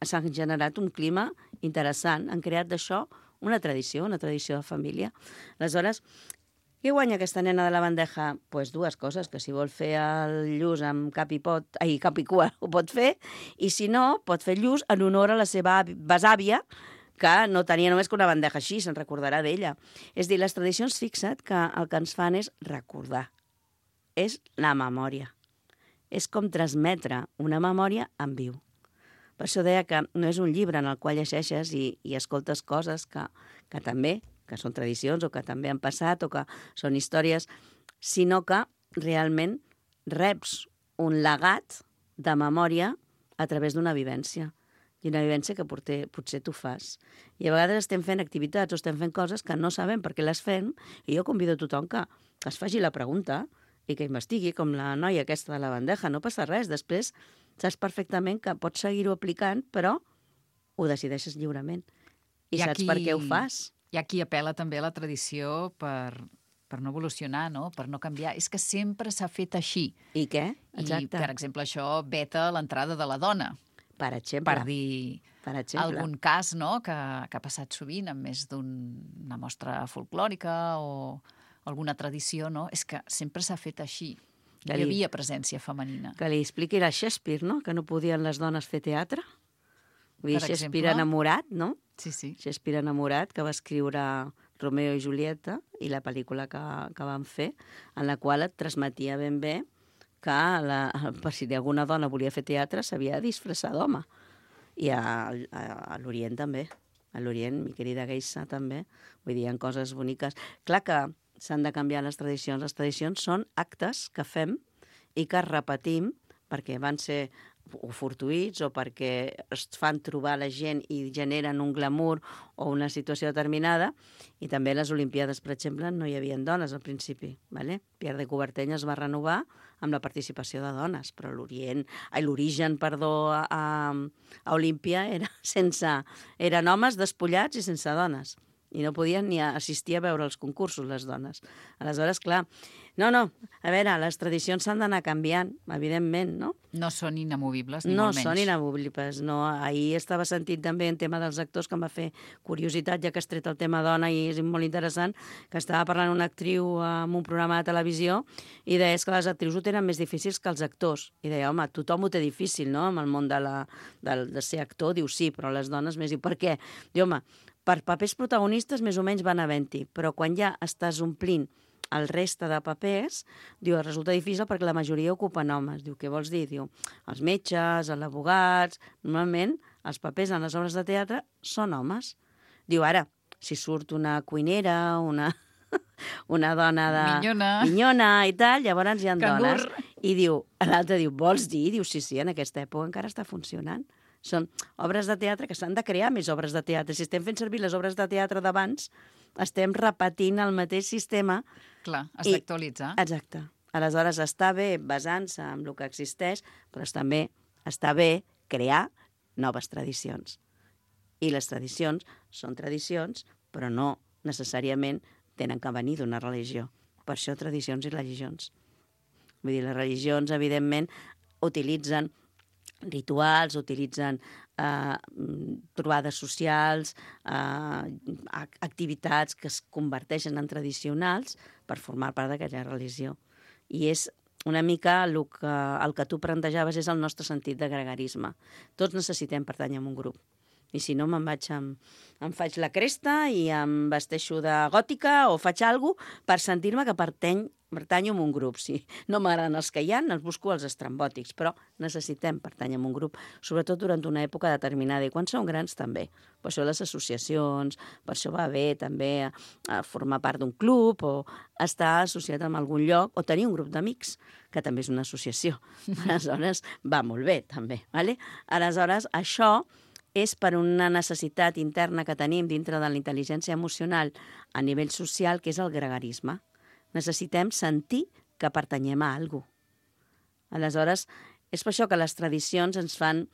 s'ha generat un clima interessant. Han creat d'això una tradició, una tradició de família. Aleshores, què guanya aquesta nena de la bandeja? Doncs pues dues coses, que si vol fer el lluç amb cap i, pot, ai, cap i cua ho pot fer, i si no, pot fer lluç en honor a la seva besàvia, que no tenia només que una bandeja així, se'n recordarà d'ella. És dir, les tradicions, fixa't, que el que ens fan és recordar. És la memòria. És com transmetre una memòria en viu. Per això deia que no és un llibre en el qual llegeixes i, i escoltes coses que, que també, que són tradicions o que també han passat o que són històries, sinó que realment reps un legat de memòria a través d'una vivència. I una vivència que potser, potser tu fas. I a vegades estem fent activitats o estem fent coses que no sabem per què les fem, i jo convido a tothom que, que es faci la pregunta i que investigui, com la noia aquesta de la bandeja. No passa res. Després saps perfectament que pots seguir-ho aplicant, però ho decideixes lliurement. I, I saps aquí, per què ho fas. Hi ha qui apela també a la tradició per, per no evolucionar, no? Per no canviar. És que sempre s'ha fet així. I què? Exacte. I, per exemple, això veta l'entrada de la dona. Per exemple. Per dir per exemple. algun cas, no?, que, que ha passat sovint amb més d'una mostra folclòrica o alguna tradició, no? És que sempre s'ha fet així. Hi li, havia presència femenina. Que li expliqui a Shakespeare, no?, que no podien les dones fer teatre. Vull dir, Shakespeare enamorat, no? Sí, sí. Shakespeare enamorat, que va escriure Romeo i Julieta, i la pel·lícula que, que van fer, en la qual et transmetia ben bé que la, per si alguna dona volia fer teatre s'havia de disfressar d'home. I a, a, a l'Orient també. A l'Orient, mi querida Geisa també. Vull dir, hi ha coses boniques. Clar que s'han de canviar les tradicions. Les tradicions són actes que fem i que repetim perquè van ser o fortuïts o perquè es fan trobar la gent i generen un glamour o una situació determinada. I també a les Olimpiades, per exemple, no hi havia dones al principi. Vale? Pierre de Coubertin es va renovar amb la participació de dones, però l'Orient, ai, l'origen, perdó, a, a Olímpia era sense, eren homes despullats i sense dones. I no podien ni assistir a veure els concursos, les dones. Aleshores, clar, no, no, a veure, les tradicions s'han d'anar canviant, evidentment, no? No són inamovibles, ni no molt menys. No són inamovibles, no. Ahir estava sentint també en tema dels actors, que em va fer curiositat, ja que has tret el tema dona i és molt interessant, que estava parlant una actriu en un programa de televisió i deia que les actrius ho tenen més difícils que els actors. I deia, home, tothom ho té difícil, no?, amb el món de, la, de, de ser actor. Diu, sí, però les dones més. Diu, per què? Diu, home, per papers protagonistes més o menys van havent-hi, però quan ja estàs omplint el reste de papers, diu, resulta difícil perquè la majoria ocupen homes. Diu, què vols dir? Diu, els metges, els abogats... Normalment, els papers en les obres de teatre són homes. Diu, ara, si surt una cuinera, una, una dona de... Minyona. Minyona i tal, llavors hi ha Cangur. dones. I diu, l'altre diu, vols dir? Diu, sí, sí, en aquesta època encara està funcionant. Són obres de teatre que s'han de crear més obres de teatre. Si estem fent servir les obres de teatre d'abans, estem repetint el mateix sistema. Clar, has I- d'actualitzar. Exacte. Aleshores, està bé basant-se en el que existeix, però també està bé crear noves tradicions. I les tradicions són tradicions, però no necessàriament tenen que venir d'una religió. Per això tradicions i religions. Vull dir, les religions, evidentment, utilitzen rituals, utilitzen eh, trobades socials, eh, activitats que es converteixen en tradicionals per formar part d'aquella religió. I és una mica el que, el que tu plantejaves és el nostre sentit de gregarisme. Tots necessitem pertànyer a un grup. I si no, me'n vaig amb, em faig la cresta i em vesteixo de gòtica o faig alguna cosa per sentir-me que pertany, pertanyo a un grup. Si no m'agraden els que hi ha, els busco els estrambòtics, però necessitem pertànyer a un grup, sobretot durant una època determinada. I quan som grans, també. Per això les associacions, per això va bé també a, a formar part d'un club o estar associat amb algun lloc o tenir un grup d'amics, que també és una associació. Aleshores, va molt bé, també. Vale? Aleshores, això és per una necessitat interna que tenim dintre de la intel·ligència emocional a nivell social, que és el gregarisme. Necessitem sentir que pertanyem a alguna cosa. Aleshores, és per això que les tradicions ens fan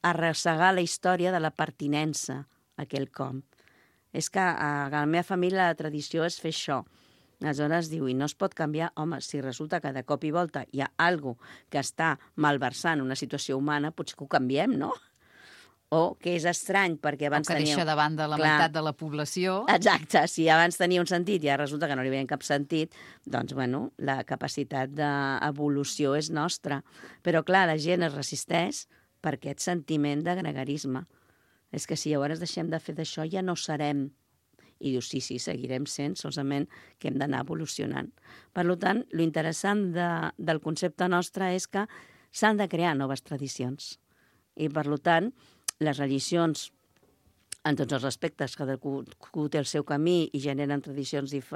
arrossegar la història de la pertinença a quelcom. És que a la meva família la tradició és fer això. Aleshores diu, i no es pot canviar, home, si resulta que de cop i volta hi ha alguna cosa que està malversant una situació humana, potser que ho canviem, no? O que és estrany, perquè abans O que tenia... deixa de banda la Clar. meitat de la població. Exacte, si abans tenia un sentit i ara resulta que no li veia cap sentit, doncs, bueno, la capacitat d'evolució és nostra. Però, clar, la gent es resisteix per aquest sentiment de gregarisme. És que si llavors deixem de fer d'això ja no serem. I diu, sí, sí, seguirem sent, solament que hem d'anar evolucionant. Per tant, lo interessant de, del concepte nostre és que s'han de crear noves tradicions. I, per tant, les religions, en tots els aspectes, cadascú té el seu camí i generen tradicions dif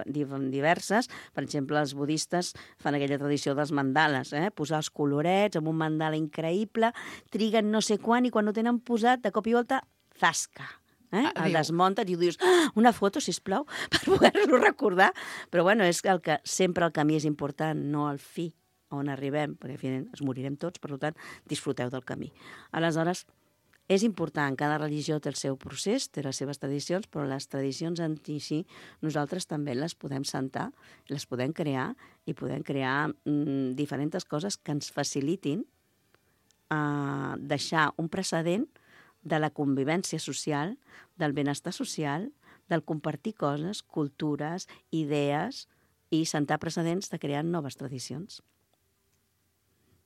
diverses. Per exemple, els budistes fan aquella tradició dels mandales, eh? Posar els colorets amb un mandala increïble, triguen no sé quan i quan ho tenen posat, de cop i volta, zasca. Eh? El desmuntes i dius, ah, una foto, sisplau, per poder-lo recordar. Però bueno, és el que sempre el camí és important, no el fi on arribem, perquè finalment ens morirem tots, per tant, disfruteu del camí. Aleshores, és important, cada religió té el seu procés, té les seves tradicions, però les tradicions en si nosaltres també les podem sentar, les podem crear i podem crear mm, diferents coses que ens facilitin eh, deixar un precedent de la convivència social, del benestar social, del compartir coses, cultures, idees i sentar precedents de crear noves tradicions.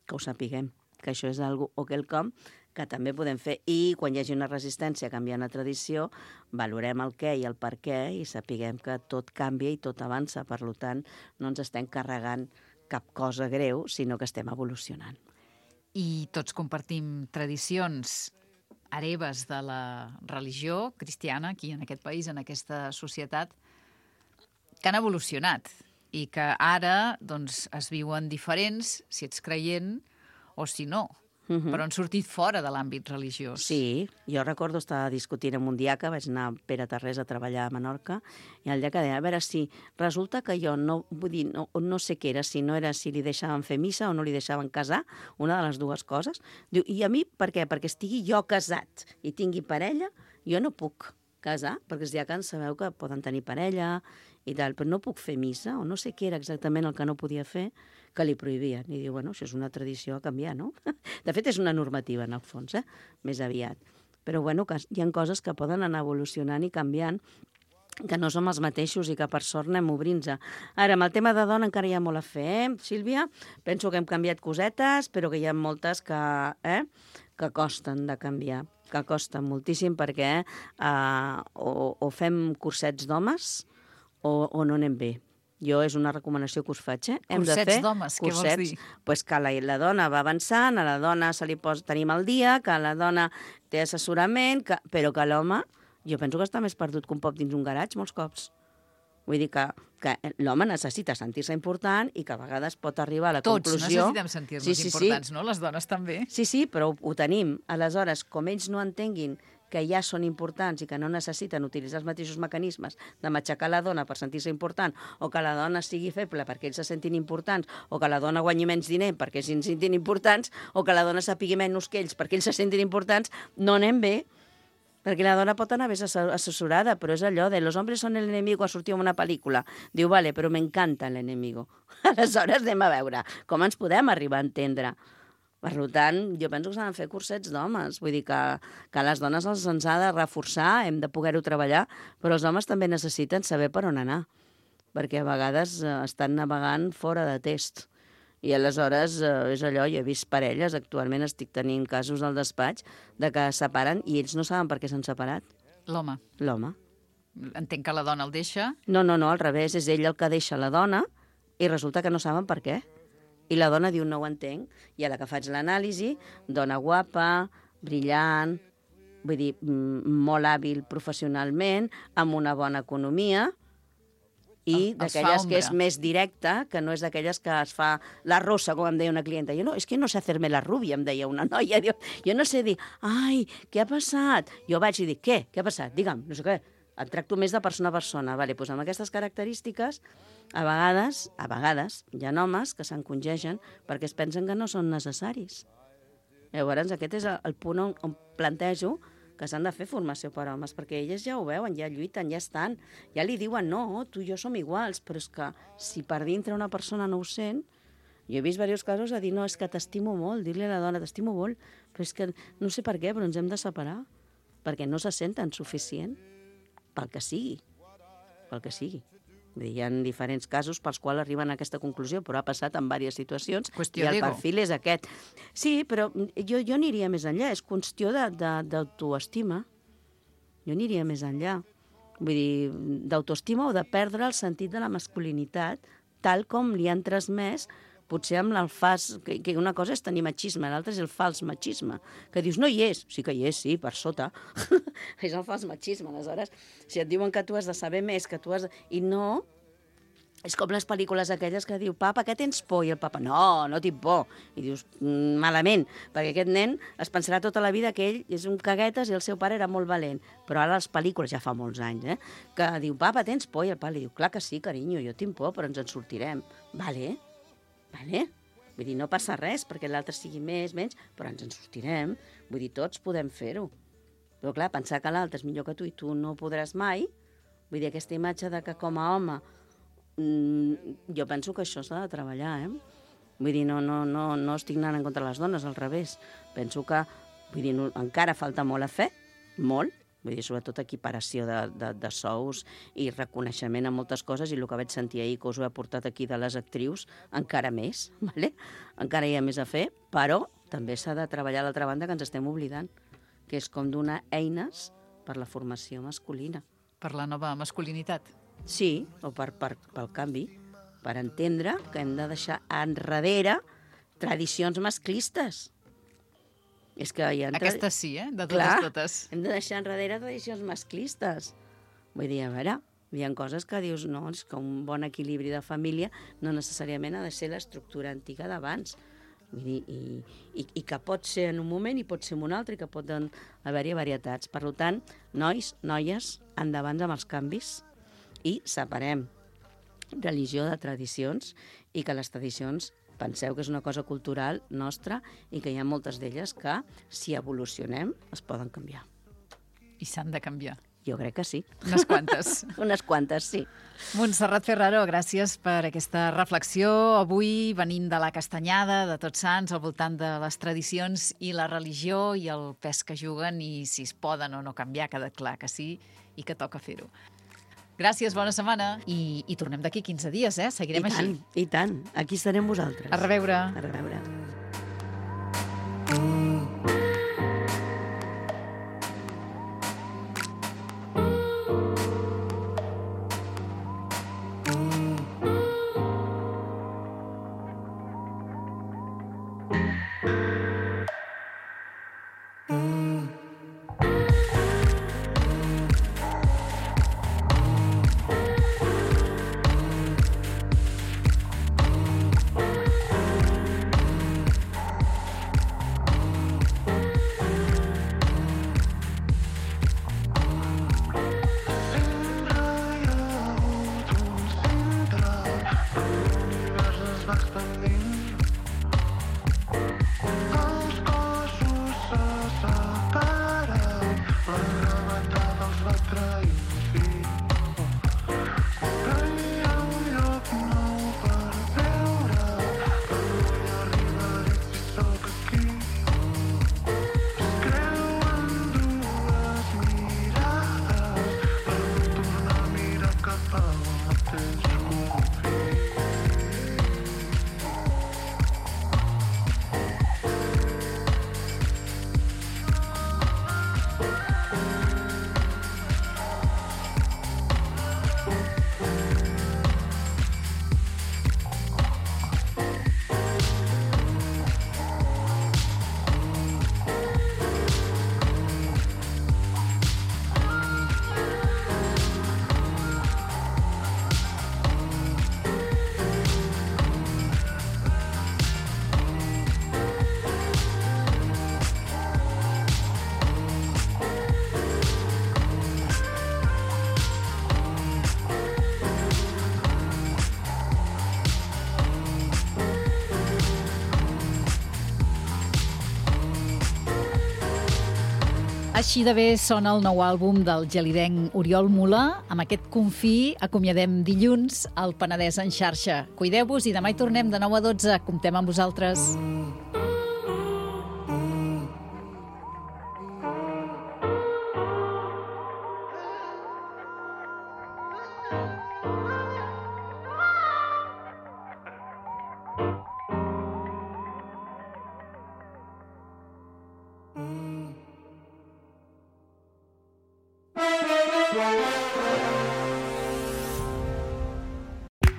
Que ho sapiguem, que això és algo o quelcom que també podem fer. I quan hi hagi una resistència a canviar una tradició, valorem el què i el per què i sapiguem que tot canvia i tot avança. Per tant, no ens estem carregant cap cosa greu, sinó que estem evolucionant. I tots compartim tradicions hereves de la religió cristiana aquí en aquest país, en aquesta societat, que han evolucionat i que ara doncs, es viuen diferents, si ets creient o si no. Uh-huh. Però han sortit fora de l'àmbit religiós. Sí, jo recordo estar discutint amb un diaca, vaig anar a Pere Tarrés a treballar a Menorca, i el diaca deia, a veure, si resulta que jo no, vull dir, no, no sé què era, si no era si li deixaven fer missa o no li deixaven casar, una de les dues coses. Diu, i a mi per què? Perquè estigui jo casat i tingui parella, jo no puc casar, perquè els diacans sabeu que poden tenir parella i tal, però no puc fer missa, o no sé què era exactament el que no podia fer, que li prohibien. I diu, bueno, això és una tradició a canviar, no? De fet, és una normativa, en el fons, eh? Més aviat. Però, bueno, que hi ha coses que poden anar evolucionant i canviant, que no som els mateixos i que, per sort, anem obrint-se. Ara, amb el tema de dona encara hi ha molt a fer, eh, Sílvia? Penso que hem canviat cosetes, però que hi ha moltes que, eh, que costen de canviar, que costen moltíssim perquè eh, o, o fem cursets d'homes o, o no anem bé. Jo és una recomanació que us faig, eh? Hem Cursets de fer d'homes, què vols dir? Pues que la, la dona va avançant, a la dona se li posa, tenim el dia, que la dona té assessorament, que, però que l'home, jo penso que està més perdut que un pop dins un garatge molts cops. Vull dir que, que l'home necessita sentir-se important i que a vegades pot arribar a la Tots conclusió... Tots necessitem sentir-nos sí, sí, importants, sí. no? Les dones també. Sí, sí, però ho, ho tenim. Aleshores, com ells no entenguin que ja són importants i que no necessiten utilitzar els mateixos mecanismes de matxacar la dona per sentir-se important, o que la dona sigui feble perquè ells se sentin importants, o que la dona guanyi menys diner perquè ells se sentin importants, o que la dona sàpigui menys que ells perquè ells se sentin importants, no anem bé. Perquè la dona pot anar més assessorada, però és allò de los hombres son el enemigo, sortiu en una pel·lícula. Diu, vale, però m'encanta l'enemigo. Aleshores anem a veure com ens podem arribar a entendre. Per tant, jo penso que s'han de fer cursets d'homes. Vull dir que, que les dones els ens ha de reforçar, hem de poder-ho treballar, però els homes també necessiten saber per on anar, perquè a vegades eh, estan navegant fora de test. I aleshores eh, és allò, jo he vist parelles, actualment estic tenint casos al despatx, de que es separen i ells no saben per què s'han separat. L'home. L'home. Entenc que la dona el deixa. No, no, no, al revés, és ell el que deixa la dona i resulta que no saben per què. I la dona diu, no ho entenc. I a la que faig l'anàlisi, dona guapa, brillant, vull dir, molt hàbil professionalment, amb una bona economia, i d'aquelles que és més directa, que no és d'aquelles que es fa la rossa, com em deia una clienta. Jo no, és que no sé fer-me la rubia, em deia una noia. Jo no sé dir, ai, què ha passat? Jo vaig i dic, què? Què ha passat? Digue'm, no sé què. Et tracto més de persona a persona. Vale, doncs amb aquestes característiques, a vegades, a vegades, hi ha homes que s'encongegen perquè es pensen que no són necessaris. Llavors, aquest és el punt on, on plantejo que s'han de fer formació per homes, perquè elles ja ho veuen, ja lluiten, ja estan, ja li diuen, no, tu i jo som iguals, però és que si per dintre una persona no ho sent, jo he vist diversos casos a dir, no, és que t'estimo molt, dir-li a la dona, t'estimo molt, però és que no sé per què, però ens hem de separar, perquè no se senten suficient, pel que sigui, pel que sigui. Vull dir, hi ha diferents casos pels quals arriben a aquesta conclusió, però ha passat en diverses situacions qüestió i el d'ego. perfil és aquest. Sí, però jo, jo aniria més enllà, és qüestió d'autoestima. Jo aniria més enllà. Vull dir, d'autoestima o de perdre el sentit de la masculinitat, tal com li han transmès, potser amb el fals, que, que una cosa és tenir machisme, l'altra és el fals machisme, que dius, no hi és, sí que hi és, sí, per sota, és el fals machisme, aleshores, si et diuen que tu has de saber més, que tu has de... i no, és com les pel·lícules aquelles que diu, papa, què tens por? I el papa, no, no tinc por, i dius, malament, perquè aquest nen es pensarà tota la vida que ell és un caguetes i el seu pare era molt valent, però ara les pel·lícules, ja fa molts anys, eh, que diu, papa, tens por? I el pare li diu, clar que sí, carinyo, jo tinc por, però ens en sortirem, vale? Vale? Vull dir, no passa res perquè l'altre sigui més, menys, però ens en sortirem. Vull dir, tots podem fer-ho. Però clar, pensar que l'altre és millor que tu i tu no podràs mai, vull dir, aquesta imatge de que com a home, mmm, jo penso que això s'ha de treballar, eh? Vull dir, no, no, no, no estic anant en contra de les dones, al revés. Penso que, vull dir, no, encara falta molt a fer, molt, vull dir, sobretot equiparació de, de, de sous i reconeixement en moltes coses, i el que vaig sentir ahir que us ho he portat aquí de les actrius, encara més, ¿vale? Encara hi ha més a fer, però també s'ha de treballar a l'altra banda que ens estem oblidant, que és com donar eines per la formació masculina. Per la nova masculinitat. Sí, o per, per, pel canvi, per entendre que hem de deixar enrere tradicions masclistes. És que hi ha... Aquestes sí, eh? De totes, Clar, totes. Hem de deixar enrere tradicions masclistes. Vull dir, a veure, hi ha coses que dius, no, és que un bon equilibri de família no necessàriament ha de ser l'estructura antiga d'abans. Vull dir, i, i, i que pot ser en un moment i pot ser en un altre, i que poden haver-hi varietats. Per tant, nois, noies, endavant amb els canvis i separem religió de tradicions, i que les tradicions penseu que és una cosa cultural nostra i que hi ha moltes d'elles que, si evolucionem, es poden canviar. I s'han de canviar. Jo crec que sí. Unes quantes. Unes quantes, sí. Montserrat Ferraro, gràcies per aquesta reflexió. Avui venint de la Castanyada, de Tots Sants, al voltant de les tradicions i la religió i el pes que juguen i si es poden o no canviar, ha quedat clar que sí i que toca fer-ho. Gràcies, bona setmana. I, i tornem d'aquí quinze dies, eh? Seguirem I així. tant, i tant. Aquí estarem vosaltres. A reveure. A reveure. Mm-hmm. Així de bé sona el nou àlbum del gelidenc Oriol Mula. Amb aquest confí acomiadem dilluns al Penedès en xarxa. Cuideu-vos i demà hi tornem de nou a dotze. Comptem amb vosaltres. Mm.